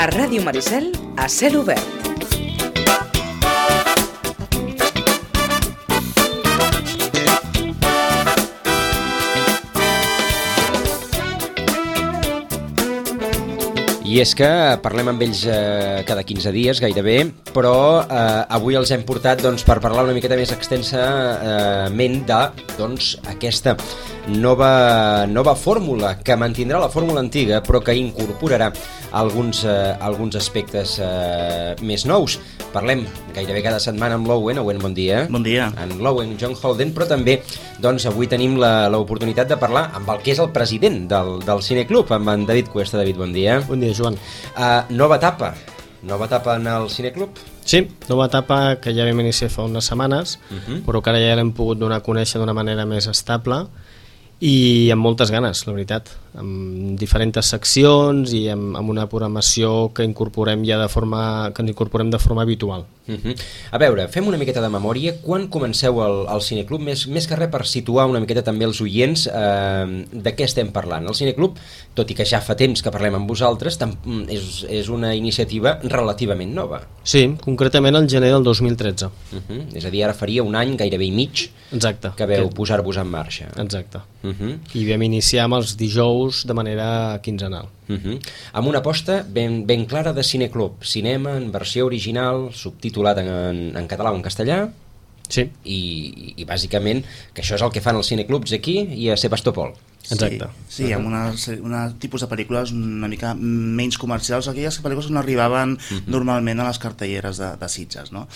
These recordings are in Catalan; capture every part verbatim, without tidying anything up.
A Ràdio Maricel, a cel obert. I és que parlem amb ells eh, cada quinze dies, gairebé, però eh, avui els hem portat doncs, per parlar una miqueta més extensament de doncs, aquesta nova, nova fórmula que mantindrà la fórmula antiga però que incorporarà alguns, eh, alguns aspectes eh, més nous. Parlem gairebé cada setmana amb l'Owen. Owen, bon dia. Bon dia. En l'Owen, John Holden, però també doncs, avui tenim l'oportunitat de parlar amb el que és el president del, del Cineclub, amb en David Cuesta. David, bon dia. Bon dia, Joan. Uh, nova etapa. Nova etapa en el Cineclub? Sí, nova etapa que ja vam iniciar fa unes setmanes, uh-huh. però que ara ja l'hem pogut donar a conèixer d'una manera més estable i amb moltes ganes, la veritat, amb diferents seccions i amb, amb una programació que incorporem ja de forma que ens incorporem de forma habitual. Uh-huh. A veure, fem una miqueta de memòria. Quan comenceu el, el Cineclub? Més, més que res per situar una miqueta també els oients eh, de què estem parlant. El Cineclub, tot i que ja fa temps que parlem amb vosaltres, tam, és, és una iniciativa relativament nova. Sí, concretament el gener del dos mil tretze. Uh-huh. És a dir, ara faria un any, gairebé i mig, exacte, que veu que... posar-vos en marxa. Exacte. Uh-huh. I vam iniciar amb els dijous de manera quinzenal. Uh-huh. Amb una aposta ben, ben clara de Cineclub, cinema en versió original, subtitulat en, en, en català o en castellà. Sí. I, i bàsicament que això és el que fan els cineclubs aquí i a Sebastopol. Exacte. Sí, sí, amb una, una tipus de pel·lícules una mica menys comercials, aquelles pel·lícules que no arribaven uh-huh. normalment a les cartelleres de, de Sitges, no?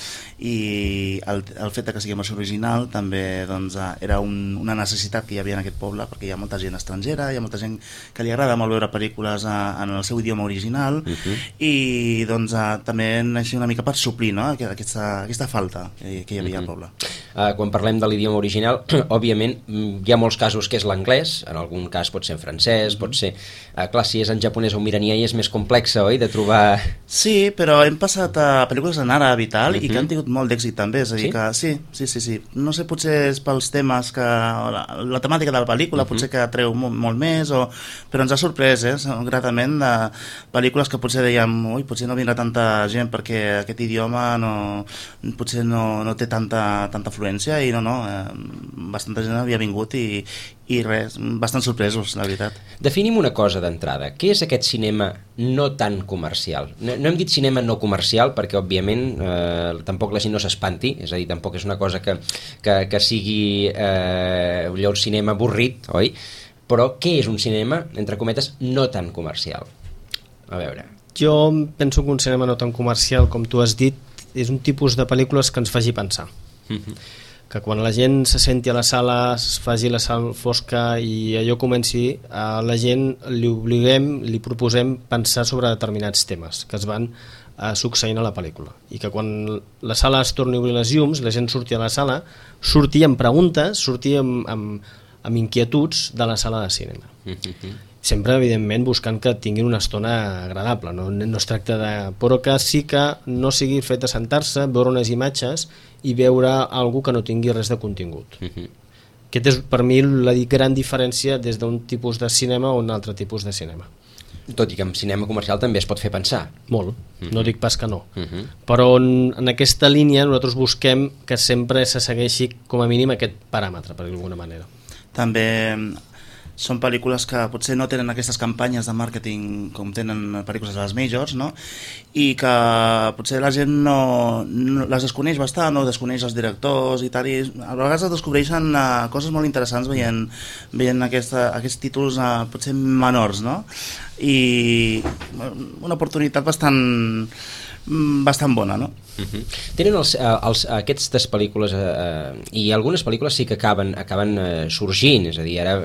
I el, el fet que sigui versió original també doncs, era un, una necessitat que hi havia en aquest poble, perquè hi ha molta gent estrangera, hi ha molta gent que li agrada molt veure pel·lícules a, en el seu idioma original uh-huh. i doncs a, també naixia una mica per suplir, no? aquesta, aquesta falta que, que hi havia uh-huh. al poble. Uh, quan parlem de l'idioma original, òbviament hi ha molts casos que és l'anglès, en algun cas pot ser en francès, pot ser... Uh, clar, si és en japonès o iranià és més complexa, oi?, de trobar... Sí, però hem passat a pel·lícules en àrab i tal, uh-huh. i que han tingut molt d'èxit també, és a dir sí? que sí, sí, sí, sí. No sé, potser és pels temes que... La, la temàtica de la pel·lícula uh-huh. potser que atreu molt, molt més, o... però ens ha sorprès, eh, gratament, de pel·lícules que potser dèiem, ui, potser no vindrà tanta gent perquè aquest idioma no... potser no, no té tanta, tanta fluència, i no, no, eh, bastanta gent havia vingut i, i res, bastant sorpresos, la veritat. Definim una cosa d'entrada. Què és aquest cinema no tan comercial? No, no hem dit cinema no comercial perquè, òbviament, eh, tampoc la gent no s'espanti, és a dir, tampoc és una cosa que, que, que sigui eh, allò, un cinema avorrit, oi? Però què és un cinema, entre cometes, no tan comercial? A veure... Jo penso que un cinema no tan comercial, com tu has dit, és un tipus de pel·lícules que ens faci pensar. Uh-huh. Que quan la gent se senti a la sala, es faci la sala fosca i allò comenci, a la gent li obliguem, li proposem pensar sobre determinats temes que es van eh, succeint a la pel·lícula, i que quan la sala es torni a obrir les llums, la gent surti a la sala, surti amb preguntes, surti amb, amb, amb inquietuds de la sala de cinema. Sempre, evidentment, buscant que tinguin una estona agradable, no, no es tracta de... però que sí que no sigui fet a sentar-se, veure unes imatges i veure algú que no tingui res de contingut. Uh-huh. Aquest és, per mi, la gran diferència des d'un tipus de cinema a un altre tipus de cinema. Tot i que en cinema comercial també es pot fer pensar. Molt, uh-huh. no dic pas que no. Uh-huh. Però en, en aquesta línia nosaltres busquem que sempre se segueixi com a mínim aquest paràmetre, per d'alguna manera. També... són pel·lícules que potser no tenen aquestes campanyes de màrqueting com tenen pel·lícules de les majors, no? I que potser la gent no, no les desconeix bastant o desconeix els directors i tal, i a vegades es descobreixen uh, coses molt interessants veient, veient aquesta, aquests títols uh, potser menors, no? I una oportunitat bastant bastant bona, no? Uh-huh. Tenen els, els, aquestes pel·lícules eh, i algunes pel·lícules sí que acaben, acaben eh, sorgint, és a dir, ara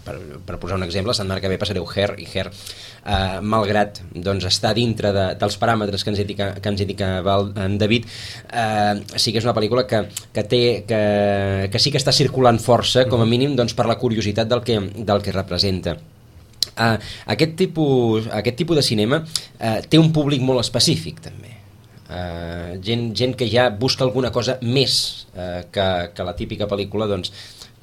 per, per posar un exemple, la setmana que ve passareu Her, i Her, eh, malgrat doncs, estar dintre de, dels paràmetres que ens indica, que ens indica en David, eh, sí que és una pel·lícula que, que, té, que, que sí que està circulant força, com a mínim doncs, per la curiositat del que, del que representa. Uh, aquest, tipus, aquest tipus de cinema uh, té un públic molt específic també, uh, gent, gent que ja busca alguna cosa més uh, que, que la típica pel·lícula doncs,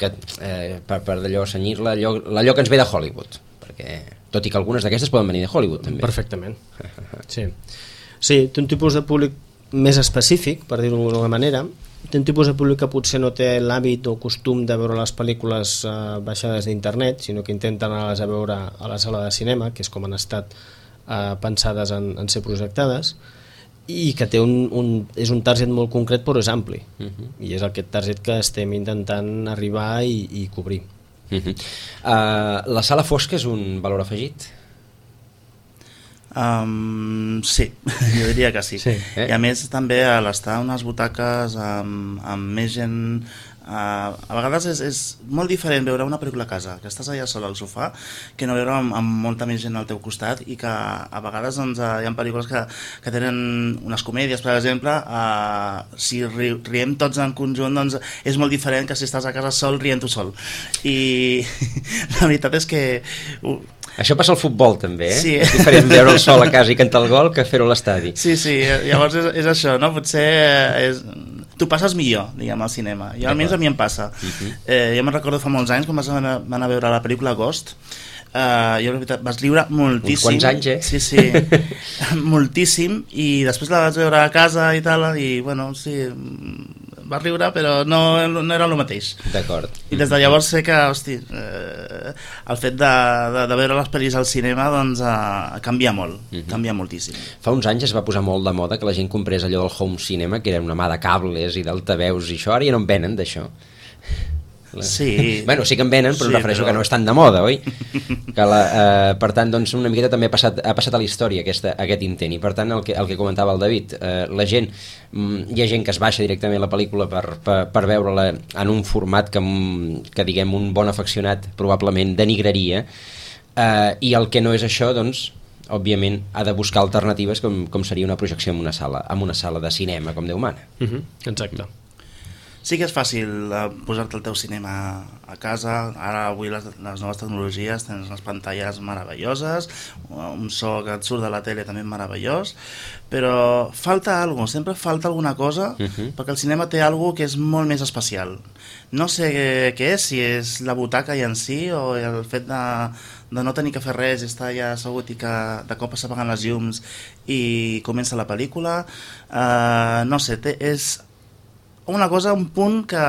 que, uh, per, per d'allò senyir-la allò, allò que ens ve de Hollywood, per perquè, tot i que algunes d'aquestes poden venir de Hollywood també. Perfectament. Sí. Sí, té un tipus de públic més específic, per dir-ho d'alguna manera. Té un tipus de públic que potser no té l'hàbit o costum de veure les pel·lícules eh, baixades d'internet, sinó que intenten anar-les a veure a la sala de cinema, que és com han estat eh, pensades en, en ser projectades, i que té un, un, és un target molt concret però és ampli, uh-huh. i és aquest target que estem intentant arribar i, i cobrir. Uh-huh. uh, La sala fosca és un valor afegit? Um, sí, jo diria que sí, sí. Eh? I a més també a l'estar unes butaques amb, amb més gent, uh, a vegades és, és molt diferent veure una pel·lícula a casa, que estàs allà sol al sofà, que no veure amb, amb molta més gent al teu costat, i que a vegades doncs, hi ha pel·lícules que, que tenen unes comèdies, per exemple, uh, si ri, riem tots en conjunt doncs és molt diferent que si estàs a casa sol rient tu sol, i la veritat és que uh, això passa al futbol també, eh? Sí. És diferent veure el sol a casa i cantar el gol que fer-ho a l'estadi. Sí, sí, llavors és, és això, no? Potser és... tu passes millor, diguem, al cinema. Jo almenys a mi em passa. Uh-huh. eh, jo me'n recordo fa molts anys quan vas anar, anar a veure la pel·lícula Ghost. Uh, jo, la veritat, vas riure moltíssim. Uns quants anys, eh? Sí, sí, moltíssim, i després la vaig veure a casa i tal, i bueno, sí, va riure, però no, no era el mateix. D'acord. I des de llavors sé que, hosti, eh, el fet de, de, de veure les pel·lis al cinema, doncs, eh, canvia molt, uh-huh. canvia moltíssim. Fa uns anys es va posar molt de moda que la gent comprés allò del home cinema, que era una mà de cables i d'altaveus i això, ara ja no en venen d'això. Sí. Bueno, sí que en venen, però sí, em refereixo però... que no és tan de moda, oi? Que la, eh, per tant, doncs, una miqueta també ha passat, ha passat a la història aquesta, aquest intent, i per tant el que, el que comentava el David, eh, la gent, mm, hi ha gent que es baixa directament la pel·lícula per, per, per veure-la en un format que, que diguem, un bon afeccionat probablement denigraria, eh, i el que no és això, doncs, òbviament ha de buscar alternatives com, com seria una projecció en una sala, en una sala de cinema, com Déu mana. Uh-huh. Exacte. Sí que és fàcil uh, posar-te el teu cinema a casa. Ara avui les, les noves tecnologies tens unes pantalles meravelloses, un so que et surt de la tele també meravellós, però falta alguna cosa, sempre falta alguna cosa, uh-huh. perquè el cinema té alguna cosa que és molt més especial. No sé què, què és, si és la butaca i en si, o el fet de, de no tenir que fer res, estar allà assegut i que de cop s'apaguen les llums i comença la pel·lícula. Uh, no sé, té, és una cosa, un punt que,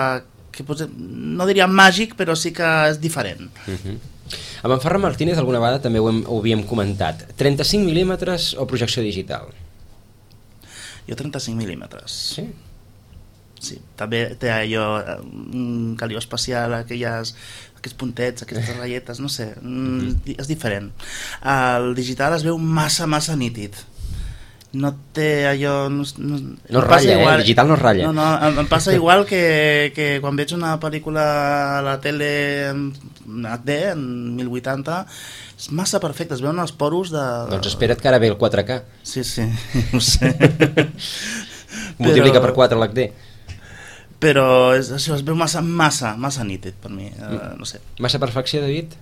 que potser, no diria màgic, però sí que és diferent. Uh-huh. Amb en Ferran Martínez alguna vegada també ho, hem, ho havíem comentat. trenta-cinc mil·límetres o projecció digital? Jo trenta-cinc mil·límetres. Sí? Sí, també té allò, un calió especial, aquelles, aquests puntets, aquestes ratlletes, no sé, uh-huh. és diferent. El digital es veu massa, massa nítid. No té allò... No, no, no ratlla, igual, eh? Digital no ratlla. No, no, em, em passa igual que, que quan veig una pel·lícula a la tele en H D, en mil vuitanta, és massa perfecte, es veuen els poros de... Doncs espera't que ara ve el quatre K. Sí, sí, ho sé. Multiplica però... per quatre l'H D. Però és, això es veu massa, massa, massa nítid per mi, uh, no sé. Massa perfecció, David?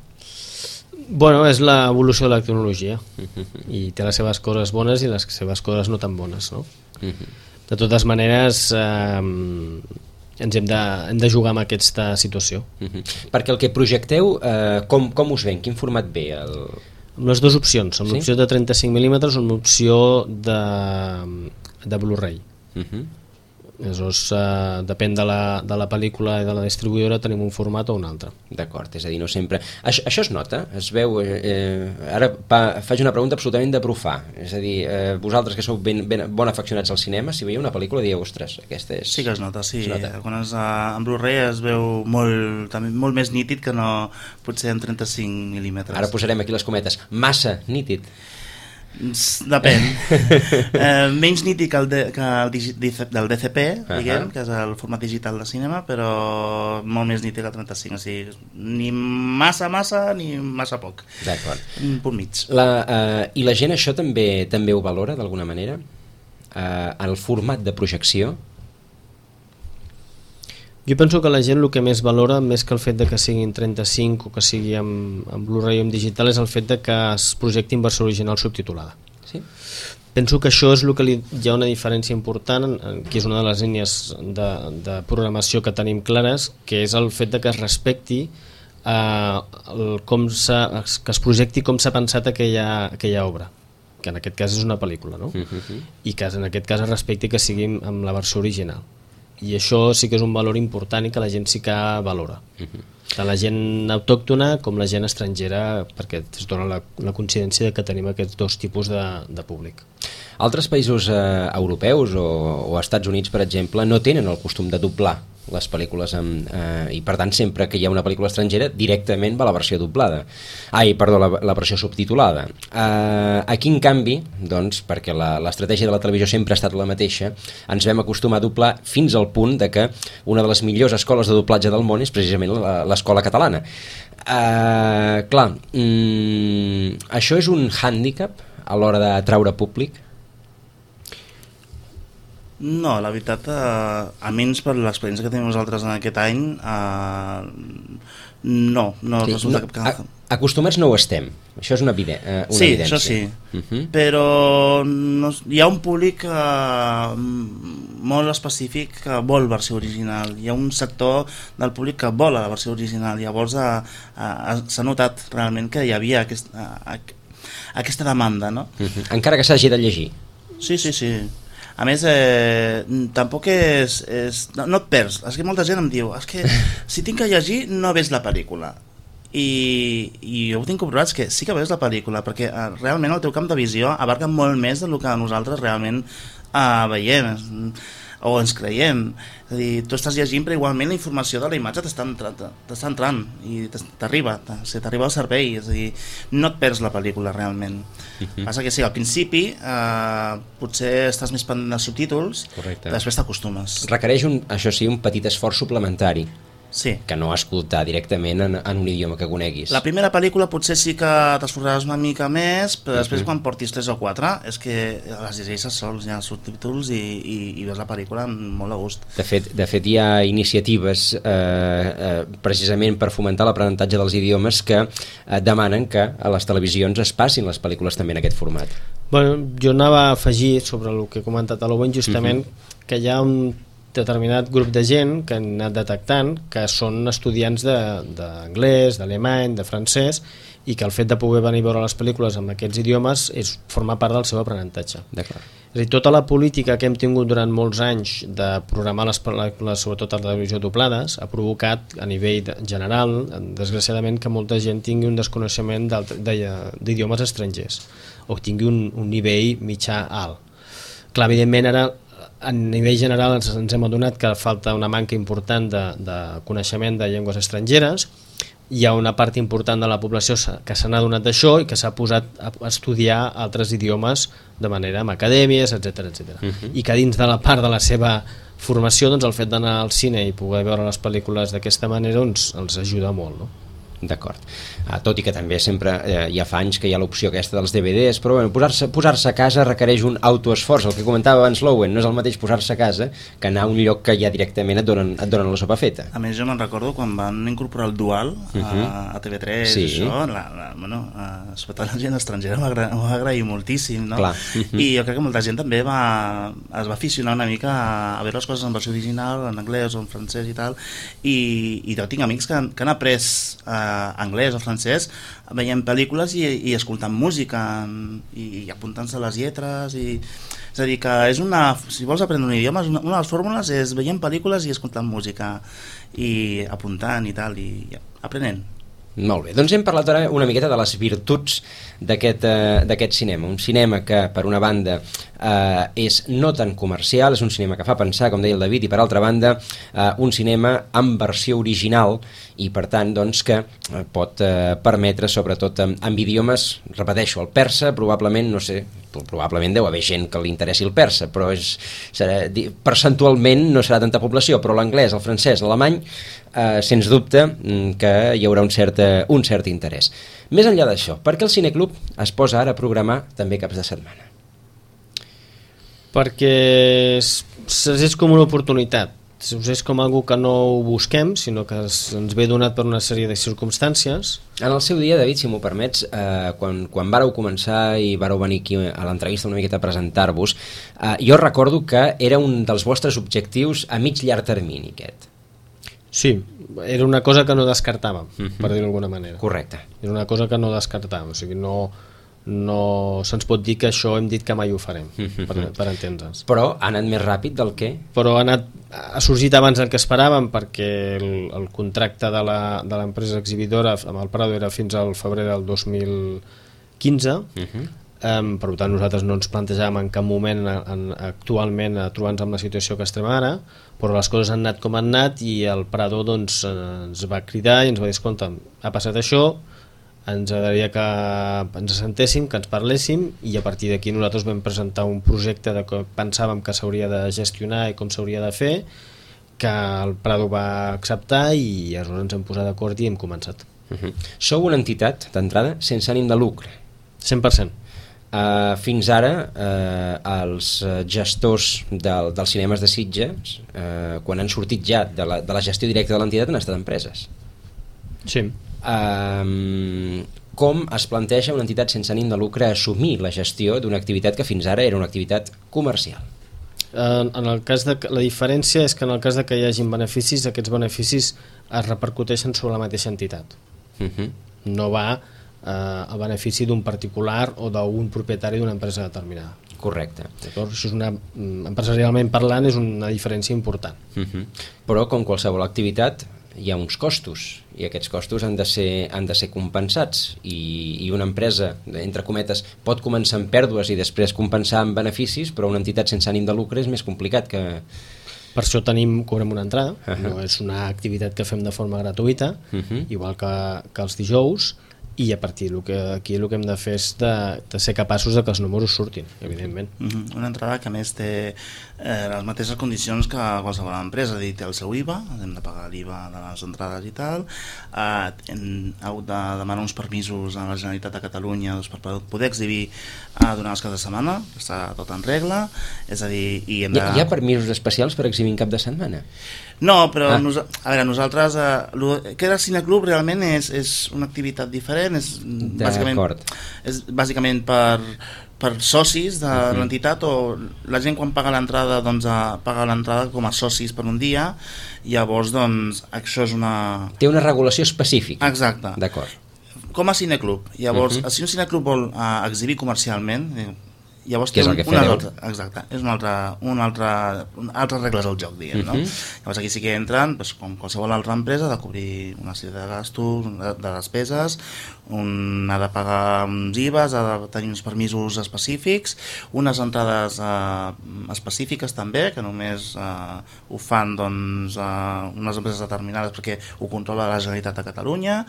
Bueno, és l'evolució de la tecnologia uh-huh. i té les seves coses bones i les seves coses no tan bones, no? Uh-huh. De totes maneres eh, ens hem de, hem de jugar amb aquesta situació. Uh-huh. Perquè el que projecteu, eh, com, com us ven? Quin format ve? El... Amb les dues opcions, amb sí? l'opció de trenta-cinc mil·límetres o amb l'opció de, de Blu-ray. Uh-huh. Aleshores, eh, depèn de la, de la pel·lícula i de la distribuïdora, tenim un format o un altre. D'acord, és a dir, no sempre... Això, això es nota? Es veu... Eh, ara pa, faig una pregunta absolutament de profà. És a dir, eh, vosaltres que sou ben, ben, bon afeccionats al cinema, si veieu una pel·lícula dieu, ostres, aquesta és... Sí que es nota, sí. Es nota. Quan és en Blu-ray es veu molt, també molt més nítid que no potser en trenta-cinc mil·límetres. Ara posarem aquí les cometes. Massa nítid. Depèn. eh, menys nítid que el, de, que el digi, del D C P, uh-huh. diguem, que és el format digital de cinema, però molt més nítid que el trenta-cinc, o sigui, ni massa massa ni massa poc. D'acord. Un punt mig. La, uh, I la gent això també també ho valora d'alguna manera? Uh, el format de projecció? Jo penso que la gent el que més valora, més que el fet de que siguin trenta-cinc o que sigui amb, amb Blu-ray o amb digital, és el fet de que es projecti en versió original subtitulada. Sí? Penso que això és el que li, hi ha una diferència important, que és una de les línies de, de programació que tenim clares, que és el fet de que es respecti eh, el, com que es projecti com s'ha pensat aquella, aquella obra, que en aquest cas és una pel·lícula, no? Uh-huh. I que en aquest cas es respecti que sigui amb la versió original. I això sí que és un valor important i que la gent sí que valora. Uh-huh. Tant la gent autòctona com la gent estrangera, perquè es dona la, la coincidència de que tenim aquests dos tipus de, de públic. Altres països eh, europeus o, o Estats Units, per exemple, no tenen el costum de doblar les pel·lícules amb, eh, i per tant sempre que hi ha una pel·lícula estrangera directament va la versió doblada ai, perdó, la, la versió subtitulada eh, aquí en canvi doncs, perquè l'estratègia de la televisió sempre ha estat la mateixa, ens vam acostumar a doblar fins al punt de que una de les millors escoles de doblatge del món és precisament l'escola catalana. eh, clar mm, això és un hàndicap a l'hora d'atraure públic? No, la veritat, eh, a menys per l'experiència que tenim nosaltres en aquest any, eh, no, no sí, resulta no, cap... Acostumats no ho estem, això és una, evide una sí, evidència. Això sí, uh-huh. Però no, hi ha un públic eh, molt específic que vol versió original, hi ha un sector del públic que vol la versió original, llavors eh, eh, s'ha notat realment que hi havia aquest, eh, aquesta demanda, no? Uh-huh. Encara que s'hagi de llegir. Sí, sí, sí. A més, eh, tampoc és... és no, no et perds. És que molta gent em diu és que si tinc que llegir no veig la pel·lícula. I, i jo ho tinc comprovat que sí que veus la pel·lícula, perquè eh, realment el teu camp de visió abarca molt més del que nosaltres realment eh, veiem o ens creiem. És a dir, tu estàs llegint però igualment la informació de la imatge t'està entrant, t'està entrant i t'arriba, t'arriba al cervell, és a dir, no et perds la pel·lícula realment. Uh-huh. Passa que sí, al principi eh, potser estàs més pendent dels subtítols. Correcte. Després t'acostumes. Requereix, un, això sí, un petit esforç suplementari. Sí. Que no escoltar directament en, en un idioma que coneguis. La primera pel·lícula potser sí que t'esforçaràs una mica més, però després uh-huh. quan portis tres o quatre és que les llegeixes sols, hi ha subtítols i, i, i veus la pel·lícula amb molt de gust. De fet, de fet hi ha iniciatives eh, eh, precisament per fomentar l'aprenentatge dels idiomes que eh, demanen que a les televisions es passin les pel·lícules també en aquest format. Bueno, jo anava a afegir sobre el que he comentat a l'Owen justament uh-huh. que hi ha un determinat grup de gent que han anat detectant que són estudiants d'anglès, de, d'alemany, de francès i que el fet de poder venir a veure les pel·lícules amb aquests idiomes és formar part del seu aprenentatge. D'acord. És a dir, tota la política que hem tingut durant molts anys de programar les pel·lícules, sobretot a la televisió doblades, ha provocat a nivell general, desgraciadament, que molta gent tingui un desconeixement d'idiomes estrangers o tingui un, un nivell mitjà alt. Clar, evidentment ara a nivell general ens, ens hem adonat que falta una manca important de, de coneixement de llengües estrangeres. Hi ha una part important de la població que se n'ha adonat d'això i que s'ha posat a estudiar altres idiomes de manera amb acadèmies, etcètera, etcètera. Uh-huh. I que dins de la part de la seva formació, doncs, el fet d'anar al cine i poder veure les pel·lícules d'aquesta manera doncs, els ajuda molt, no? D'acord. Ah, tot i que també sempre eh, ja fa anys que hi ha l'opció aquesta dels D V Ds, però bueno, posar-se posar-se a casa requereix un autoesforç. El que comentava abans l'Owen, no és el mateix posar-se a casa que anar a un lloc que ja directament et donen, et donen la sopa feta. A més, jo me'n recordo quan van incorporar el dual a, uh-huh. a T V tres, sí. Això, la, la, bueno, a, sobretot la gent estrangera m'ho va agrair moltíssim, no? Clar. Uh-huh. I jo crec que molta gent també va, es va aficionar una mica a veure les coses en versió original, en anglès o en francès i tal, i, i jo tinc amics que han, que han après eh, anglès o francès veient pel·lícules i, i escoltant música i, i apuntant-se les lletres i, és a dir que és una, si vols aprendre un idioma una, una de les fórmules és veient pel·lícules i escoltant música i apuntant i tal i ja, aprenent. Molt bé, doncs hem parlat ara una miqueta de les virtuts d'aquest eh, d'aquest cinema, un cinema que per una banda eh, és no tan comercial, és un cinema que fa pensar, com deia el David, i per altra banda eh, un cinema amb versió original i per tant doncs que eh, pot eh, permetre sobretot amb, amb idiomes, repeteixo, el persa probablement, no sé, probablement deu haver gent que li interessi el persa, però és, serà, percentualment no serà tanta població, però l'anglès, el francès, l'alemany eh, sens dubte que hi haurà un cert, un cert interès. Més enllà d'això, per què el Cineclub es posa ara a programar també caps de setmana? Perquè és, és com una oportunitat, és com algo que no ho busquem, sinó que ens ve donat per una sèrie de circumstàncies. En el seu dia, David, si m'ho permets, eh, quan, quan vàreu començar i vàreu venir aquí a l'entrevista una miqueta a presentar-vos, eh, jo recordo que era un dels vostres objectius a mig llarg termini, aquest. Sí, era una cosa que no descartàvem, uh-huh. per dir-ho d'alguna manera. Correcte. Era una cosa que no descartàvem, o sigui, no, no se'ns pot dir que això hem dit que mai ho farem, uh-huh. per, per entendre'ns. Però ha anat més ràpid del que... Però ha, anat, ha sorgit abans del que esperàvem, perquè el, el contracte de l'empresa exhibidora amb el Prado era fins al febrer del dos mil quinze, uh-huh. Um, per tant nosaltres no ens plantejàvem en cap moment en, actualment a trobar-nos amb la situació que estem ara, però les coses han anat com han anat i el Prado doncs, ens va cridar i ens va dir, escolta, ha passat això, ens agradaria que ens assentéssim, que ens parléssim, i a partir d'aquí nosaltres vam presentar un projecte de que pensàvem que s'hauria de gestionar i com s'hauria de fer, que el Prado va acceptar i aleshores ens hem posat d'acord i hem començat. Uh-huh. Sou una entitat d'entrada sense ànim de lucre? cent per cent. Uh, fins ara uh, els gestors del, dels cinemes de Sitges uh, quan han sortit ja de la, de la gestió directa de l'entitat han estat empreses. Sí. Uh, com es planteja una entitat sense ànim de lucre assumir la gestió d'una activitat que fins ara era una activitat comercial? Uh, en el cas de, la diferència és que en el cas de que hi hagin beneficis, aquests beneficis es repercuteixen sobre la mateixa entitat. Uh-huh. No va a benefici d'un particular o d'un propietari d'una empresa determinada. Correcte. Això és una, empresarialment parlant és una diferència important. Uh-huh. Però com qualsevol activitat hi ha uns costos i aquests costos han de ser, han de ser compensats i, i una empresa, entre cometes, pot començar amb pèrdues i després compensar amb beneficis, però una entitat sense ànim de lucre és més complicat que... Per això tenim, cobrem una entrada, uh-huh. no és una activitat que fem de forma gratuïta, uh-huh. igual que, que els dijous, i a partir del que aquí el que hem de fer és de, de ser capaços de que els números surtin, evidentment. Uh-huh. Una entrada que a més té eh, les mateixes condicions que qualsevol empresa, és a dir, té el seu I V A, hem de pagar l'I V A de les entrades i tal, eh, hem hagut de demanar uns permisos a la Generalitat de Catalunya doncs, per poder exhibir eh, durant els caps de setmana, està tot en regla, és a dir... I hem de... hi, ha, hi ha permisos especials per exhibir en cap de setmana? No, però ah. nos, a veure, nosaltres eh, lo, que era el cineclub realment és, és una activitat diferent, és bàsicament, és bàsicament per, per socis de uh-huh. l'entitat, o la gent quan paga l'entrada doncs a, paga l'entrada com a socis per un dia, llavors doncs això és una... Té una regulació específica. Exacte. D'acord. Com a cineclub. Llavors, uh-huh. si un cineclub vol uh, exhibir comercialment, llavors té un, una altra, exacte, és una altra, una altra, una altres regles al joc, diguem, uh-huh. no? Llavors aquí sí que entren, doncs, com qualsevol altra empresa, de cobrir una sèrie de gastos, de, de despeses, un ha de pagar uns I V As, ha de tenir uns permisos específics, unes entrades eh, específiques també, que només eh, ho fan doncs, eh, unes empreses determinades perquè ho controla la Generalitat de Catalunya,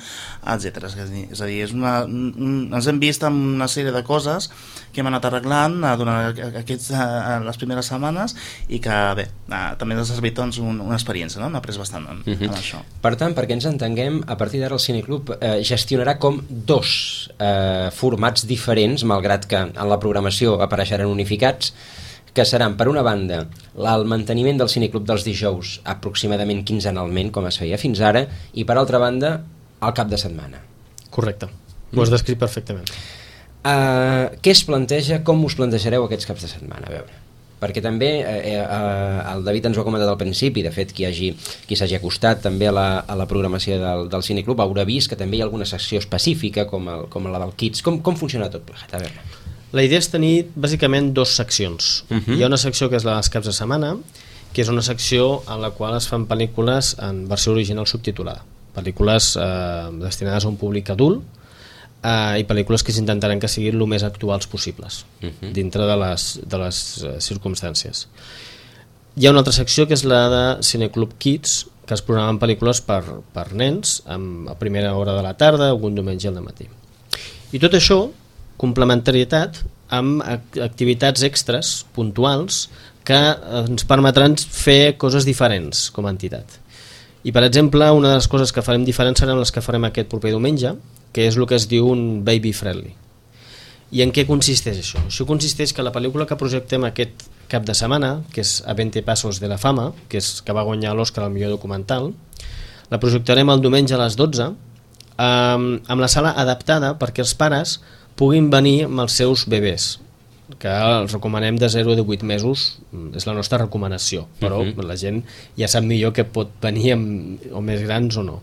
etcètera. És a dir, és una, un, ens hem vist amb una sèrie de coses que hem anat arreglant eh, durant aquests, eh, les primeres setmanes i que bé, eh, també ens ha servit doncs, un, una experiència, no? Hem après bastant en, uh-huh. en això. Per tant, perquè ens entenguem, a partir d'ara el Cineclub eh, gestionarà com dos eh, formats diferents, malgrat que en la programació apareixeran unificats, que seran, per una banda, el manteniment del Cineclub dels dijous aproximadament quinzenalment, com es feia fins ara, i per altra banda, el cap de setmana. Correcte, ho has descrit perfectament. Uh, què es planteja, com us plantejareu aquests caps de setmana? A veure, perquè també eh, eh, el David ens ho ha comentat al principi, de fet qui hagi, qui s'hagi acostat també a la, a la programació del, del Cineclub haurà vist que també hi ha alguna secció específica com, el, com la del Kids. Com, com funciona tot plegat? A veure. La idea és tenir bàsicament dos seccions. Uh-huh. Hi ha una secció que és la dels caps de setmana, que és una secció en la qual es fan pel·lícules en versió original subtitulada, pel·lícules eh, destinades a un públic adult, Uh, i pel·lícules que s'intentaran que siguin el més actuals possibles uh-huh. dintre de les, de les uh, circumstàncies. Hi ha una altra secció que és la de Cineclub Kids, que es programen pel·lícules per, per nens amb, a primera hora de la tarda, algun diumenge al matí. I tot això, complementarietat amb activitats extres puntuals que ens permetran fer coses diferents com a entitat. I per exemple, una de les coses que farem diferents seran les que farem aquest proper diumenge, que és el que es diu un baby friendly. I en què consisteix això? Això consisteix que la pel·lícula que projectem aquest cap de setmana, que és A veinte pasos de la fama, que, és, que va guanyar l'Oscar al millor documental, la projectarem el diumenge a les dotze, eh, amb la sala adaptada perquè els pares puguin venir amb els seus bebès. que els recomanem de zero a divuit mesos, és la nostra recomanació, però uh-huh. la gent ja sap millor que pot venir amb, o més grans o no.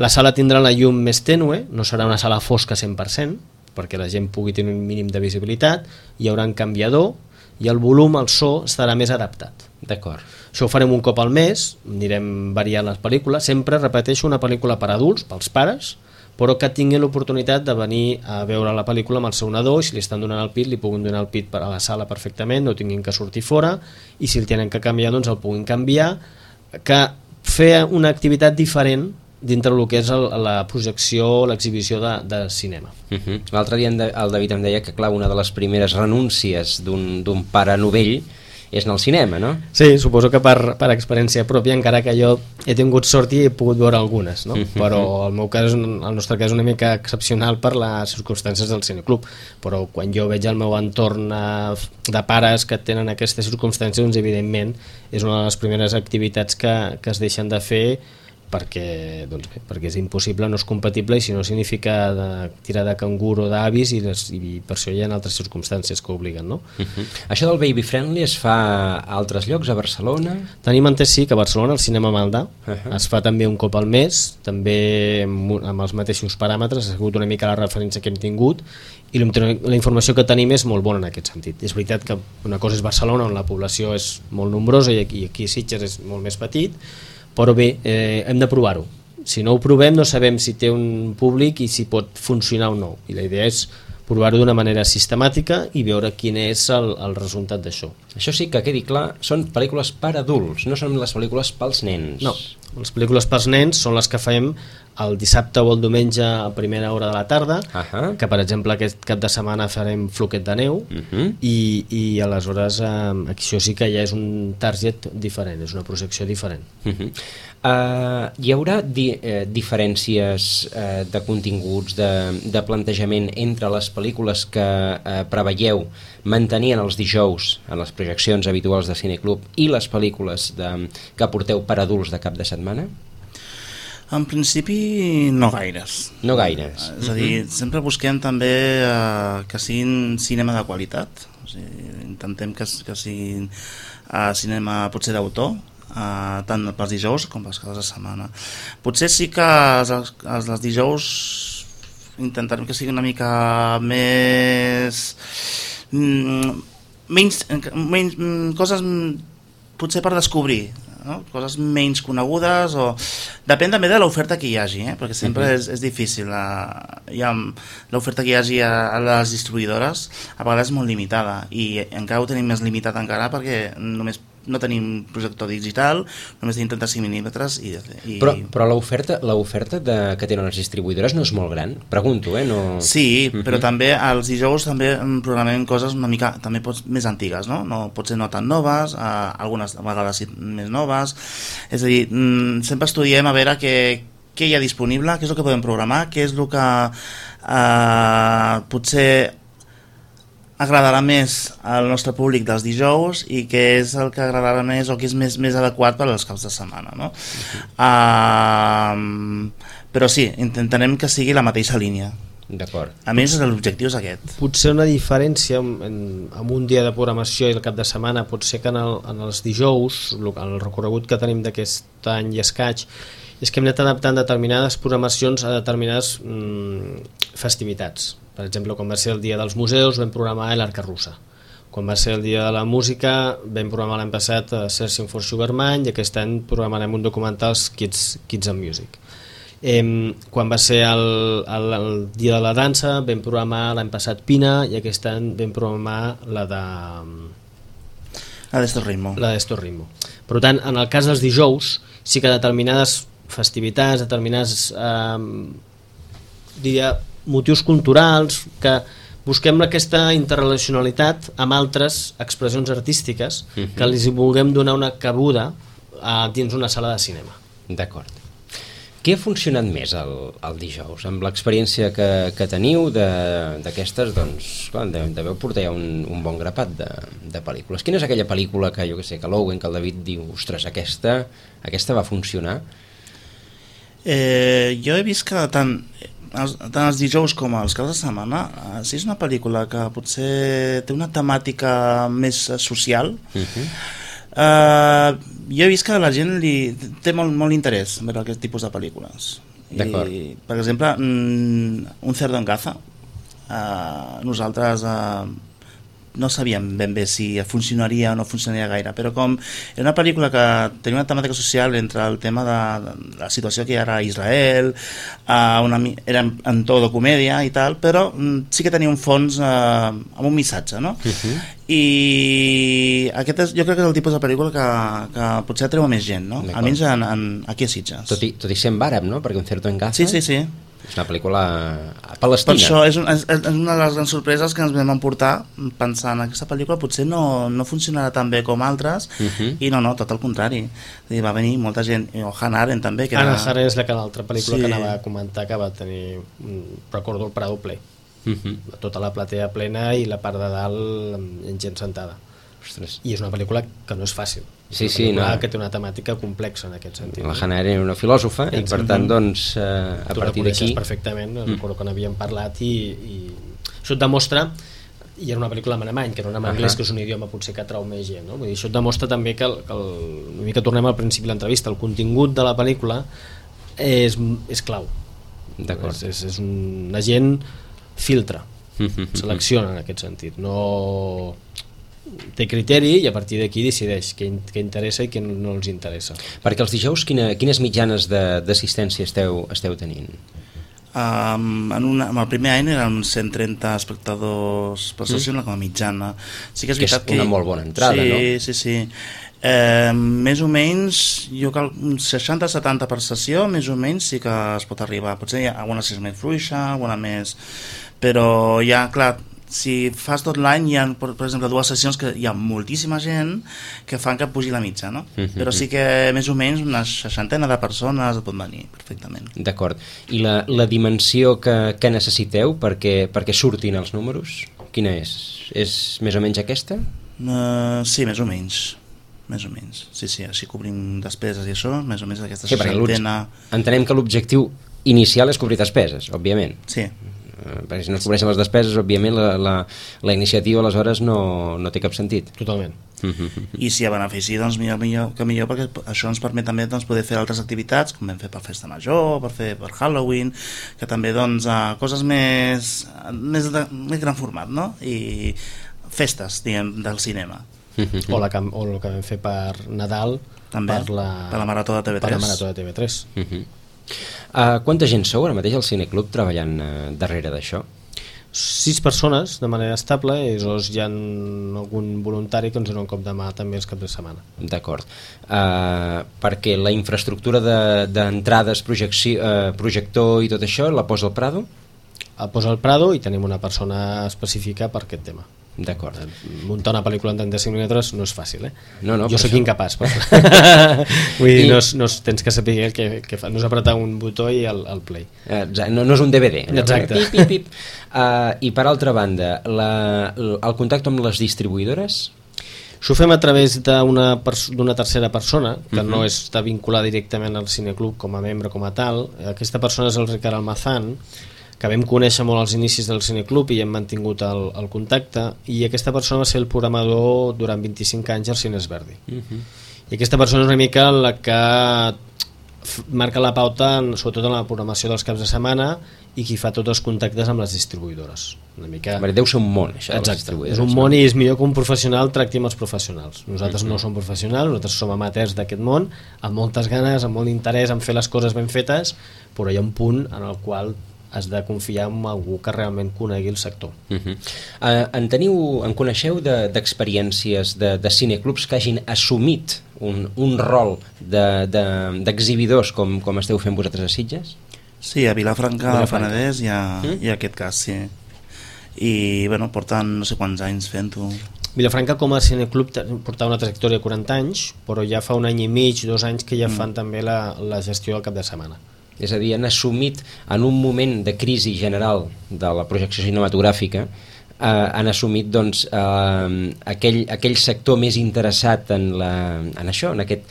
La sala tindrà la llum més tènue, no serà una sala fosca cent per cent, perquè la gent pugui tenir un mínim de visibilitat, hi haurà un canviador i el volum, el so, estarà més adaptat. D'acord. Això ho farem un cop al mes, anirem variant les pel·lícules, sempre repeteixo una pel·lícula per adults, pels pares, però que tinguin l'oportunitat de venir a veure la pel·lícula amb el seu nadó, i si li estan donant el pit, li puguin donar el pit a la sala perfectament, no tinguin que sortir fora, i si el tenen que canviar, doncs el puguin canviar, que fer una activitat diferent dintre del que és el, la projecció, l'exhibició de, de cinema. Uh-huh. L'altre dia el David em deia que, clar, una de les primeres renúncies d'un pare novell és anar al cinema, no? Sí, suposo que per, per experiència pròpia, encara que jo he tingut sort i he pogut veure algunes, no? Uh-huh. Però el meu cas, el nostre cas és una mica excepcional per les circumstàncies del cineclub, però quan jo veig el meu entorn de pares que tenen aquestes circumstàncies, doncs evidentment és una de les primeres activitats que, que es deixen de fer, perquè, doncs bé, perquè és impossible, no és compatible, i si no significa de tirar de cangur o d'avis, i, i per això hi ha altres circumstàncies que obliguen, no? Uh-huh. Això del baby friendly es fa a altres llocs, a Barcelona? Tenim entès, sí, que a Barcelona, el cinema Maldà, uh-huh. es fa també un cop al mes, també amb, amb els mateixos paràmetres, ha sigut una mica la referència que hem tingut, i la informació que tenim és molt bona en aquest sentit. És veritat que una cosa és Barcelona, on la població és molt nombrosa, i aquí, aquí Sitges és molt més petit, però bé, eh, hem de provar-ho. Si no ho provem no sabem si té un públic i si pot funcionar o no, i la idea és provar-ho d'una manera sistemàtica i veure quin és el, el resultat d'això. Això sí que quedi clar, són pel·lícules per adults, no són les pel·lícules pels nens. No, les pel·lícules pels nens són les que fem el dissabte o el diumenge a primera hora de la tarda, uh-huh. que per exemple aquest cap de setmana farem Floquet de neu, uh-huh. i, i aleshores eh, això sí que ja és un target diferent, és una projecció diferent. Uh-huh. Uh, hi haurà di eh, diferències eh, de continguts, de, de plantejament entre les pel·lícules que eh, preveieu mantenir en els dijous en les projeccions habituals de Cineclub i les pel·lícules de, que porteu per adults de cap de setmana? En principi no gaires. No gaires. És a dir, uh-huh. sempre busquem també uh, que siguin cinema de qualitat. O sigui, intentem que, que siguin uh, cinema potser d'autor, uh, tant pels dijous com pels caps de setmana. Potser sí que els, els, els dijous intentarem que sigui una mica més... Mm, menys, menys coses potser per descobrir, no? Coses menys conegudes, o depèn també de l'oferta que hi hagi, eh? Perquè sempre uh-huh. és, és difícil, hi ha l'oferta que hi hagi a, a les distribuïdores a vegades és molt limitada, i encara ho tenim més limitat encara perquè només no tenim projector digital, només tenim trenta-cinc mil·límetres i, i... Però, però l'oferta l'oferta que tenen les distribuïdores no és molt gran? Pregunto, eh? No... Sí, uh-huh. però també els dijous també programem coses una mica també pots, més antigues, no? No, potser no tan noves, eh, algunes vegades sí, més noves, és a dir, mm, sempre estudiem a veure què, què hi ha disponible, què és el que podem programar, què és el que eh, potser agradarà més al nostre públic dels dijous i què és el que agradarà més o què és més, més adequat per als caps de setmana, no? Uh-huh. uh, però sí, intentarem que sigui la mateixa línia. D'acord. A més, l'objectiu és aquest. Potser una diferència en, en, en un dia de programació i el cap de setmana pot ser que en, el, en els dijous, el recorregut que tenim d'aquest any i escaig, és que hem anat adaptant determinades programacions a determinades mm, festivitats. Per exemple, quan va ser el dia dels museus vam programar l'Arca Russa. Quan va ser el dia de la música vam programar l'any passat Searching for Sugar Man, i aquest any programarem un documental Kids, Kids and Music. Eh, quan va ser el, el, el dia de la dansa vam programar l'any passat Pina, i aquest any vam programar la de... La d'Esto Ritmo. La d'Esto Ritmo. Per tant, en el cas dels dijous sí que determinades festivitats, determinades eh, diria, motius culturals, que busquem aquesta interrelacionalitat amb altres expressions artístiques uh-huh. que els vulguem donar una cabuda a, dins una sala de cinema. D'acord. Què ha funcionat més el, el dijous? Amb l'experiència que, que teniu d'aquestes, doncs, clar, deveu portar ja un, un bon grapat de, de pel·lícules. Quina és aquella pel·lícula que, jo que sé, que l'Owen, que el David diu, ostres, aquesta, aquesta va funcionar? Eh, jo he vist que tant... els, tant els dijous com els caps de setmana, eh, si és una pel·lícula que potser té una temàtica més social, uh-huh. eh, jo he vist que la gent li té molt, molt interès en veure aquest tipus de pel·lícules. D'acord. I, per exemple, Un cerdo en caza, eh, nosaltres... Eh, no sabíem ben bé si funcionaria o no funcionaria gaire, però com era una pel·lícula que tenia una temàtica social entre el tema de, de la situació que hi era a Israel, uh, una, era en, en to de comèdia i tal, però um, sí que tenia un fons uh, amb un missatge, no? Uh-huh. I aquest és, jo crec que és el tipus de pel·lícula que, que potser atreu a més gent, no? Almenys en, en, aquí a Sitges. Tot i, tot i ser en àrab, no? Perquè Un cerdo en caza... Sí, sí, sí. És una pel·lícula palestina. Per això és, un, és, és una de les grans sorpreses que ens vam emportar pensant aquesta pel·lícula potser no, no funcionarà tan bé com altres, uh-huh. i no, no, tot el contrari. Dir, va venir molta gent, o Hannah Arendt també. Que Hannah era... Arendt és la que l'altra pel·lícula sí. que anava a comentar, que va tenir, recordo, el Prado ple. Uh-huh. Tota la platea plena i la part de dalt en gent sentada. Ostres. I és una pel·lícula que no és fàcil. Sí, és una sí, pel·lícula no. que té una temàtica complexa en aquest sentit. La Hannah Arendt era una filòsofa i per tant, doncs, eh, a tu partir d'aquí... Tu la perfectament, mm. recordo que n'havíem parlat i, i això et demostra, i era una pel·lícula en alemany, que no era en anglès, uh-huh. que és un idioma potser que atrau més gent, no? Vull dir, això et demostra també que, el, que el, una mica tornem al principi de l'entrevista, el contingut de la pel·lícula és, és clau. D'acord. És, és, és un, la gent filtra, selecciona en aquest sentit, no... té criteri i a partir d'aquí decideix què, què interessa i què no els interessa. Perquè els dijous quina, quines mitjanes d'assistència esteu, esteu tenint? Um, en, una, en el primer any eren cent trenta espectadors per sessió, mm. com a mitjana. Sí que és, que és una que... molt bona entrada, sí, no? Sí, sí, sí. Eh, més o menys, jo cal un seixanta setanta per sessió, més o menys sí que es pot arribar. Potser hi ha alguna sessió més fluixa, alguna més... Però ja, clar, si fas tot l'any hi ha, per, per exemple, dues sessions que hi ha moltíssima gent que fan que pugi la mitja, no? Uh-huh. Però sí que més o menys una seixantena de persones pot venir perfectament. D'acord. I la, la dimensió que, que necessiteu perquè, perquè surtin els números, quina és? És més o menys aquesta? Uh, sí, més o menys. Més o menys. Sí, sí, així cobrim despeses i això, més o menys aquesta sí, seixantena... Entenem que l'objectiu inicial és cobrir despeses, òbviament. Sí. Perquè si no es cobreixen les despeses, òbviament la, la, la iniciativa aleshores no, no té cap sentit. Totalment. I si hi ha benefici, doncs millor, millor que millor, perquè això ens permet també doncs, poder fer altres activitats, com vam fer per Festa Major, per fer per Halloween, que també doncs, uh, coses més, més, de, més gran format, no? I festes, diguem, del cinema. O, la, o el que vam fer per Nadal, també, per la, per la Marató de T V tres. Per la Marató de T V tres. Uh-huh. Uh, quanta gent sou ara mateix al Cineclub treballant uh, darrere d'això? Sis persones de manera estable i llavors hi ha algun voluntari que ens dona un cop de mà també els caps de setmana. D'acord. Uh, perquè la infraestructura d'entrades, de, uh, projector i tot això la posa el Prado? El posa el Prado i tenim una persona específica per aquest tema. D'acord. Muntar una pel·lícula en trenta-cinc mil·límetres no és fàcil, eh? No, no, jo sóc això... incapaç. Però... Vull dir, I... no, és, no és, tens que saber el que, que fa. No és apretar un botó i el, el play. Exacte. No, no és un D V D. Exacte. Pip, pip, pip. Uh, I per altra banda, la, el contacte amb les distribuïdores? S'ho fem a través d'una d'una tercera persona que uh-huh. no està vinculada directament al Cineclub com a membre, com a tal. Aquesta persona és el Ricard Almazán, que vam conèixer molt als inicis del Cineclub i hem mantingut el, el contacte, i aquesta persona va ser el programador durant vint-i-cinc anys al Cines Verdi. Uh-huh. I aquesta persona és una mica la que marca la pauta, en, sobretot en la programació dels caps de setmana, i qui fa tots els contactes amb les distribuïdores. Una mica... Deu ser un món, això. Exacte, és un món i és millor que un professional tracti amb els professionals. Nosaltres uh-huh. no som professionals, nosaltres som amateurs d'aquest món, amb moltes ganes, amb molt interès en fer les coses ben fetes, però hi ha un punt en el qual has de confiar en algú que realment conegui el sector. Uh-huh. uh, en teniu, en coneixeu d'experiències de, de, de cineclubs que hagin assumit un, un rol d'exhibidors de, de, com, com esteu fent vosaltres a Sitges? Sí, a Vilafranca del Penedès hi ha, mm? hi ha aquest cas, sí. I bueno, porten no sé quants anys fent-ho. Vilafranca com a cineclub portava una trajectòria de quaranta anys, però ja fa un any i mig, dos anys que ja mm. fan també la, la gestió al cap de setmana. És a dir, han assumit en un moment de crisi general de la projecció cinematogràfica, eh, han assumit doncs, eh, aquell, aquell sector més interessat en, la, en això, en aquest,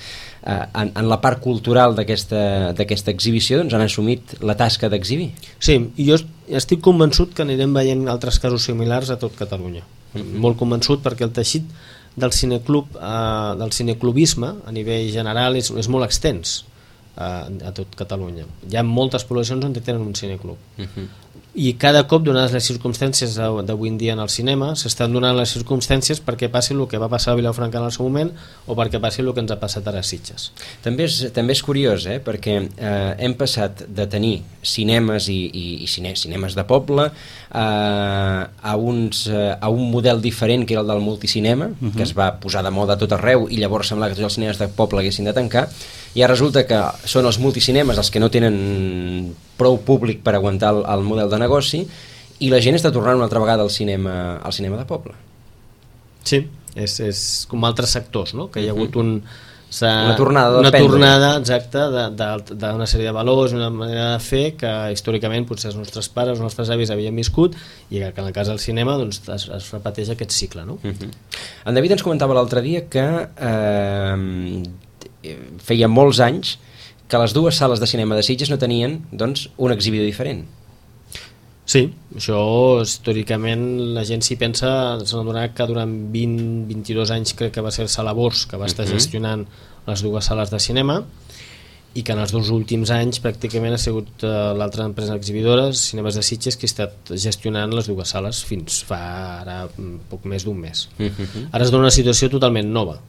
eh, en, en la part cultural d'aquesta d'aquesta exhibició doncs han assumit la tasca d'exhibir. Sí, i jo estic convençut que anirem veient altres casos similars a tot Catalunya. Mm-hmm. Molt convençut, perquè el teixit del cineclub, eh, del cineclubisme a nivell general és, és molt extens eh, a tot Catalunya. Hi ha moltes poblacions on tenen un cineclub. Mm-hmm. I cada cop, donades les circumstàncies d'avui en dia en el cinema, s'estan donant les circumstàncies perquè passi el que va passar a Vilafranca en el seu moment o perquè passi el que ens ha passat ara a Sitges. També és, també és curiós, eh? perquè eh, hem passat de tenir cinemes i, i, i cine, cinemes de poble eh, a, uns, eh, a un model diferent que era el del multicinema, uh-huh. que es va posar de moda a tot arreu i llavors semblava que tots els cinemes de poble haguessin de tancar. Ja resulta que són els multicinemes els que no tenen prou públic per aguantar el, el model de negoci i la gent està tornant una altra vegada al cinema, al cinema de poble. Sí, és, és com altres sectors, no? Que hi ha hagut un, una tornada, una tornada exacta d'una sèrie de valors, una manera de fer que històricament potser els nostres pares, els nostres avis havien viscut i que en el cas del cinema doncs, es, es repeteix aquest cicle. No? Uh-huh. En David ens comentava l'altre dia que eh, feia molts anys que les dues sales de cinema de Sitges no tenien doncs, un exhibidor diferent. Sí, això històricament la gent s'hi pensa, s'ha adonat que durant vint a vint-i-dos anys crec que va ser Sala Bors que va estar uh-huh. gestionant les dues sales de cinema i que en els dos últims anys pràcticament ha sigut uh, l'altra empresa exhibidora, Cinemes de Sitges, que ha estat gestionant les dues sales fins fa ara poc més d'un mes. Uh-huh. Ara es dona una situació totalment nova,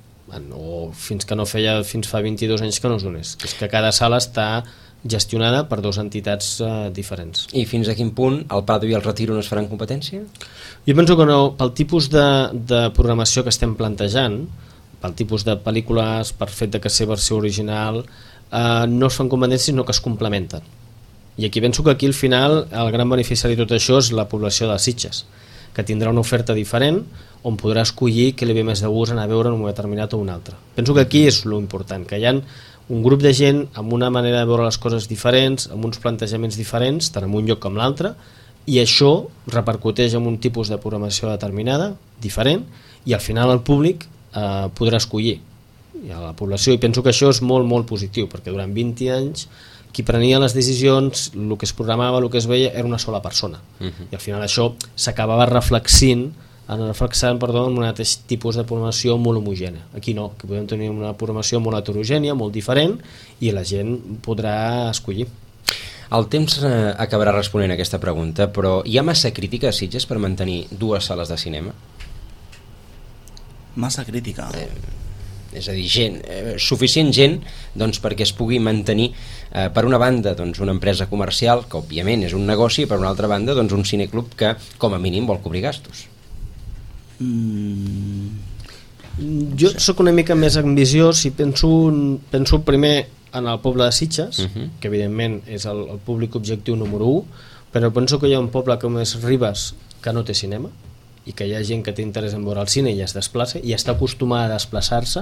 o fins que no feia fins fa vint-i-dos anys que no es donés, que és que cada sala està gestionada per dues entitats uh, diferents. I fins a quin punt el Prado i el Retiro no es faran competència? Jo penso que no, pel tipus de, de programació que estem plantejant, pel tipus de pel·lícules, per fet de que ser versió original, uh, no es fan competències sinó que es complementen. I aquí penso que aquí al final el gran beneficiari de tot això és la població de Sitges, que tindrà una oferta diferent on podrà escollir què li ve més de gust anar a veure en un moment determinat o un altre. Penso que aquí és lo important, que hi ha un grup de gent amb una manera de veure les coses diferents, amb uns plantejaments diferents, tant en un lloc com l'altre, i això repercuteix en un tipus de programació determinada, diferent, i al final el públic eh, podrà escollir i a la població, i penso que això és molt, molt positiu, perquè durant vint anys qui prenia les decisions, el que es programava, el que es veia, era una sola persona. Uh-huh. I al final això s'acabava reflexint, reflexant perdó, en un altre tipus de programació molt homogènia. Aquí no, que podem tenir una programació molt heterogènia, molt diferent, i la gent podrà escollir. El temps eh, acabarà responent a aquesta pregunta, però hi ha massa crítica a Sitges per mantenir dues sales de cinema? Massa crítica? Eh, és a dir, gent, eh, suficient gent doncs, perquè es pugui mantenir eh, per una banda doncs, una empresa comercial que òbviament és un negoci, i per una altra banda doncs, un cineclub que com a mínim vol cobrir gastos. Mm. Jo sóc una mica més ambiciós i penso, penso primer en el poble de Sitges, uh-huh. que evidentment és el, el públic objectiu número u, però penso que hi ha un poble com és Ribes que no té cinema i que hi ha gent que té interès en veure el cine i es desplaça i està acostumada a desplaçar-se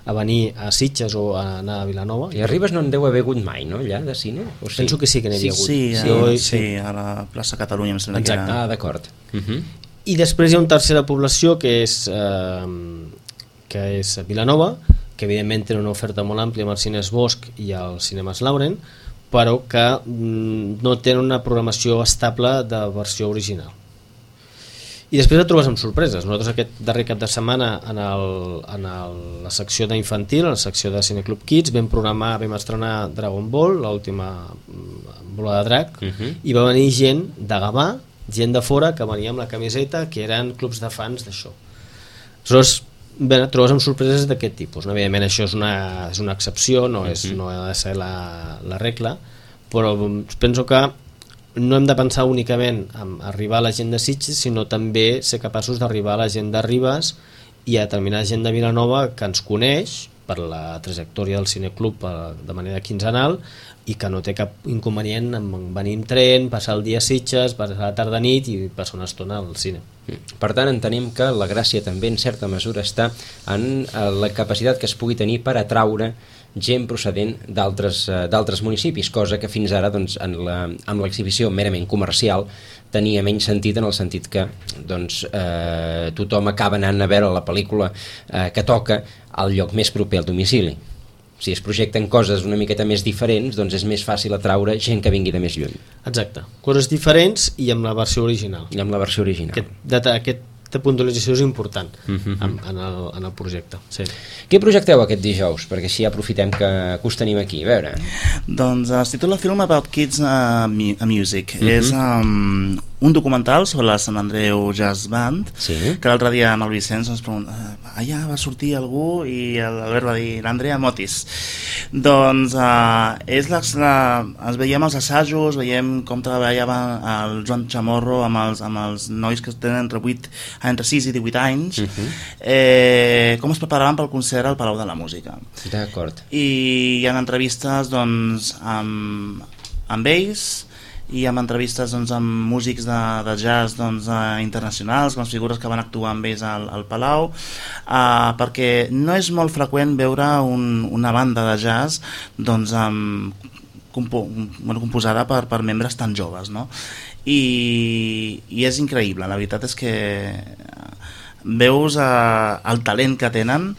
a venir a Sitges o a anar a Vilanova. I a Ribes no en deu haver hagut mai, no, allà, de cine? O sí? Penso que sí que n'hi havia hagut. Sí, sí, sí, sí, sí, a la plaça Catalunya. Exacte. Ah, d'acord. Uh-huh. I després hi ha una tercera població que és, eh, que és Vilanova, que evidentment té una oferta molt àmplia amb els cines Bosch i els cinemes Lauren, però que mm, no tenen una programació estable de versió original. I després et trobes amb sorpreses. Nosaltres aquest darrer cap de setmana en, el, en el, la secció d'infantil, en la secció de Cineclub Kids, vam programar, vam estrenar Dragon Ball, l'última bola de drac, uh-huh. i va venir gent de Gavà, gent de fora que venia amb la camiseta, que eren clubs de fans d'això. Aleshores, bé, et trobes amb sorpreses d'aquest tipus. No? Evidentment això és una, és una excepció, no, és, uh-huh. no ha de ser la, la regla, però penso que no hem de pensar únicament en arribar a la gent de Sitges, sinó també ser capaços d'arribar a la gent de Ribes i a determinada gent de Vilanova que ens coneix per la trajectòria del cineclub de manera quinzenal i que no té cap inconvenient en venir en tren, passar el dia a Sitges, passar la tarda nit i passar una estona al cine. Per tant, entenem que la gràcia també en certa mesura està en la capacitat que es pugui tenir per atraure gent procedent d'altres uh, d'altres municipis, cosa que fins ara doncs, en la, amb l'exhibició merament comercial tenia menys sentit, en el sentit que doncs, eh, tothom acaba anant a veure la pel·lícula eh, que toca al lloc més proper al domicili. si es projecten coses una miqueta més diferents, doncs és més fàcil atraure gent que vingui de més lluny. Exacte, coses diferents i amb la versió original. I amb la versió original. Aquest, data, aquesta puntualització és important uh-huh. en, en, el, en el projecte. Sí. Què projecteu aquest dijous? Perquè així aprofitem que, que us tenim aquí, a veure. Doncs es titula Film About Kids uh, Music. Uh-huh. És um, un documental sobre la Sant Andreu Jazz Band, sí. que l'altre dia amb el Vicenç ens pregunta, allà va sortir algú i l'Albert va dir l'Andrea Motis. Doncs uh, és la, la, ens veiem els assajos, veiem com treballava el Joan Chamorro amb els, amb els nois que tenen entre, vuit, entre sis i divuit anys, uh-huh. eh, com es preparaven pel concert al Palau de la Música. D'acord. I hi ha entrevistes doncs, amb, amb ells, i amb entrevistes doncs, amb músics de, de jazz doncs, uh, internacionals, com les figures que van actuar amb ells al, al Palau, uh, perquè no és molt freqüent veure un, una banda de jazz doncs, um, compo bueno, composada per, per membres tan joves, no? I, i és increïble, la veritat és que veus uh, el talent que tenen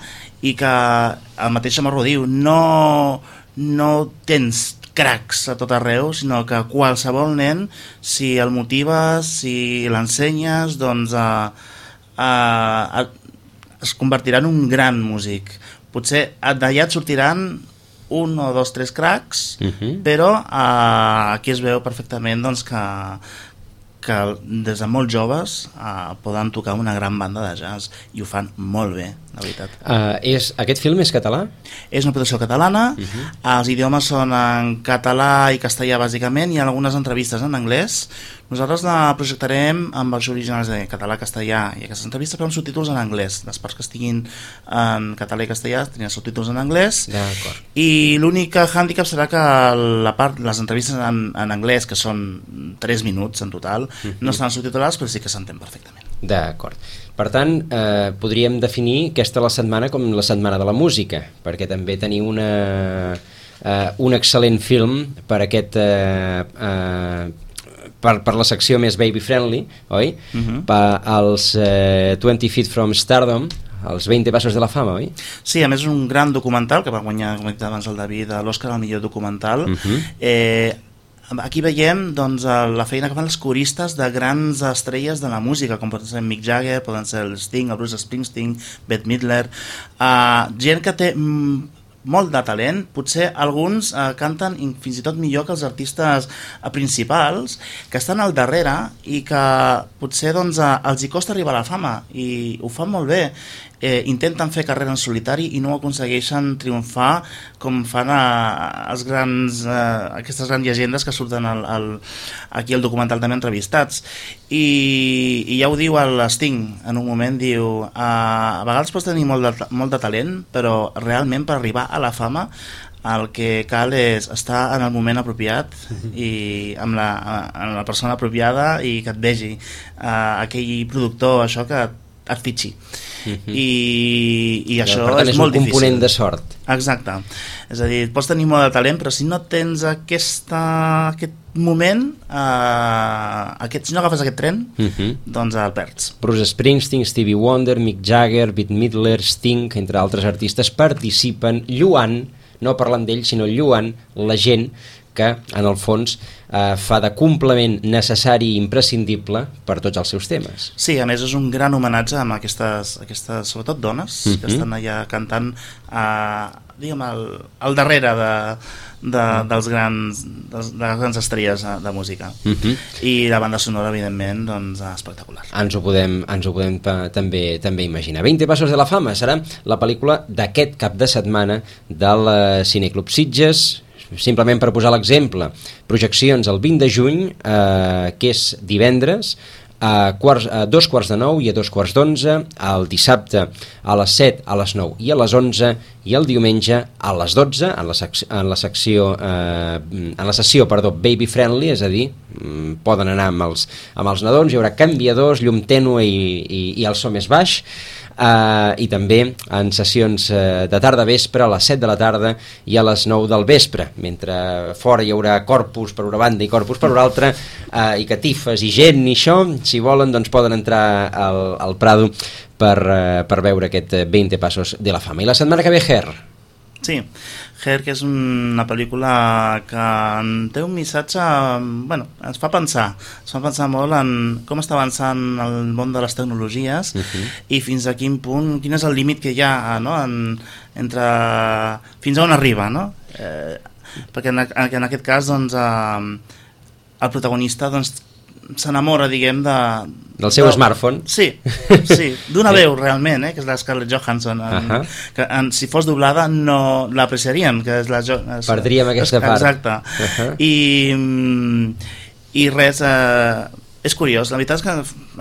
i que el mateix Chamorro diu, no, no tens cracs a tot arreu, sinó que qualsevol nen, si el motives, si l'ensenyes, doncs uh, uh, es convertirà en un gran músic. Potser d'allà et sortiran un o dos, tres cracs, uh-huh. però uh, aquí es veu perfectament doncs, que, que des de molt joves uh, poden tocar una gran banda de jazz i ho fan molt bé, la veritat. Uh, és, aquest film és català? És una producció catalana, uh-huh. els idiomes són en català i castellà bàsicament, i algunes entrevistes en anglès. Nosaltres la projectarem amb els originals de català, castellà i aquestes entrevistes, però amb subtítols en anglès. Les parts que estiguin en català i castellà tenen subtítols en anglès. D'acord. I l'únic hàndicap serà que la part, les entrevistes en, en anglès, que són tres minuts en total, uh-huh. no estan subtitulades, però sí que s'entén perfectament. D'acord. Per tant, eh, podríem definir aquesta la setmana com la setmana de la música, perquè també teniu una, eh, un excel·lent film per aquest... Eh, eh, Per, per la secció més baby-friendly, oi? Uh-huh. Per als eh, twenty feet from Stardom, els veinte passos de la fama, oi? Sí, a més és un gran documental que va guanyar, com he dit abans el David, l'Òscar al millor documental. Uh-huh. eh, aquí veiem doncs, la feina que fan els coristes de grans estrelles de la música, com poden ser Mick Jagger, poden ser el Sting, el Bruce Springsteen, Bette Midler, uh, gent que té... Mm, molt de talent, potser alguns eh, canten fins i tot millor que els artistes eh, principals, que estan al darrere i que potser doncs, eh, els hi costa arribar a la fama i ho fan molt bé, eh, intenten fer carrera en solitari i no aconsegueixen triomfar com fan eh, els grans, eh, aquestes grans llegendes que surten al, al, aquí al documental també entrevistats. I, i ja ho diu el Sting en un moment, diu eh, a vegades pots tenir molt de, molt de talent, però realment per arribar a la fama el que cal és estar en el moment apropiat i amb la, amb la persona apropiada i que et vegi uh, aquell productor, això que et fitxi. Uh-huh. I, i això per tant, és, és molt un difícil. component de sort. Exacte. És a dir, pots tenir molt de talent, però si no tens aquesta, aquest moment, uh, aquest, si no agafes aquest tren, uh-huh. doncs el perds. Bruce Springsteen, Stevie Wonder, Mick Jagger, Bette Midler, Sting, entre altres artistes, participen lluant, no parlant d'ells, sinó lluant la gent que, en el fons, eh, fa de complement necessari i imprescindible per tots els seus temes. Sí, a més és un gran homenatge amb aquestes, aquestes sobretot dones, uh-huh. que estan allà cantant eh, diguem, al, al darrere de, de, dels grans, dels, de les grans estrelles de, de música. Uh-huh. I la banda sonora, evidentment, doncs, espectacular. Ens ho podem, ens ho podem pa, també, també imaginar. veinte passos de la fama serà la pel·lícula d'aquest cap de setmana del Cineclub Sitges. Simplement per posar l'exemple, projeccions el vint de juny, eh, que és divendres, a, quarts, a dos quarts de nou i a dos quarts d'onze, el dissabte a les set, a les nou i a les onze, i el diumenge a les dotze, en la, sec en la secció, eh, en la sessió, perdó, baby friendly, és a dir, poden anar amb els, amb els nadons, hi haurà canviadors, llum tènue i, i, i el so més baix, Uh, i també en sessions uh, de tarda-vespre a les set de la tarda i a les nou del vespre, mentre fora hi haurà corpus per una banda i corpus per una altra, uh, i catifes i gent i això, si volen doncs poden entrar al, al Prado per, uh, per veure aquest veinte passos de la fama. I la setmana que ve, Ger? Sí, Her, que és una pel·lícula que té un missatge, bueno, ens fa pensar, ens fa pensar molt en com està avançant el món de les tecnologies uh-huh. i fins a quin punt, quin és el límit que hi ha, no?, en, entre fins a on arriba, no? Eh, perquè en, en aquest cas, doncs, eh, el protagonista, doncs, s'enamora, diguem, de... Del seu de, smartphone. Sí, sí, d'una veu, realment, eh, que és la Scarlett Johansson. En, uh -huh. que en, si fos doblada no l'apreciaríem, que és la... És, Perdríem aquesta és, part. Exacte. Uh -huh. I, I res... Eh, és curiós, la veritat és que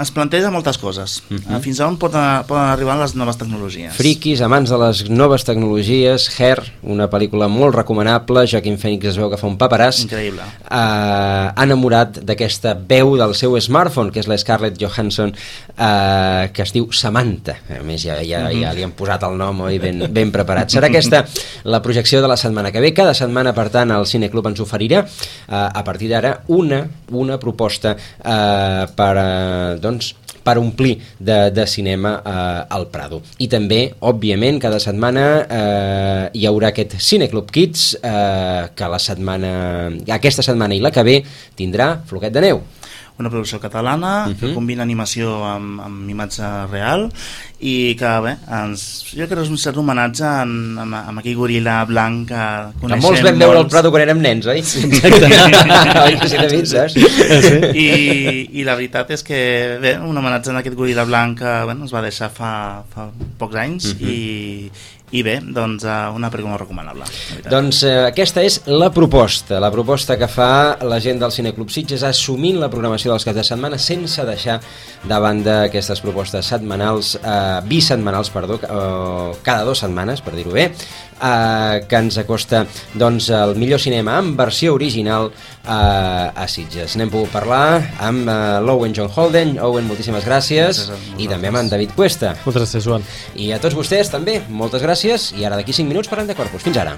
es planteja moltes coses. Uh -huh. Fins a on poden, poden arribar les noves tecnologies. Friquis, amants de les noves tecnologies, Her, una pel·lícula molt recomanable, Joaquin Phoenix es veu que fa un paperàs. Increïble. Uh, enamorat d'aquesta veu del seu smartphone, que és la Scarlett Johansson, uh, que es diu Samantha. A més, ja, ja, uh -huh. ja li han posat el nom, oi, ben, ben preparat. Serà aquesta la projecció de la setmana que ve. Cada setmana, per tant, el Cineclub ens oferirà, uh, a partir d'ara, una, una proposta uh, per, eh, doncs, per omplir de, de cinema eh, al Prado. I també, òbviament, cada setmana eh, hi haurà aquest Cineclub Kids eh, que la setmana, aquesta setmana i la que ve tindrà Floquet de neu. Una producció catalana uh-huh. que combina animació amb, amb imatge real i que, bé, ens, jo crec que és un cert homenatge en, amb, amb aquell goril·la blanc que coneixem. Que molts vam veure al Prado quan érem nens, oi? Exacte. Oi que sí, David, saps? I, I la veritat és que, bé, un homenatge en aquest goril·la blanc que, bueno, es va deixar fa, fa pocs anys uh-huh. i i bé, doncs una pel·lícula recomanable. Doncs eh, aquesta és la proposta, la proposta que fa la gent del Cineclub Sitges, assumint la programació dels caps de setmana sense deixar de banda aquestes propostes setmanals, eh, bisetmanals, perdó, eh, cada dues setmanes, per dir-ho bé, eh, que ens acosta doncs el millor cinema en versió original eh, a Sitges. N'hem pogut parlar amb eh, l'Owen John Holden. Owen, moltíssimes gràcies, gràcies i també amb en David Cuesta. Moltes gràcies, Joan. I a tots vostès també, moltes gràcies, i ara d'aquí cinc minuts parlem de Corpus. Fins ara.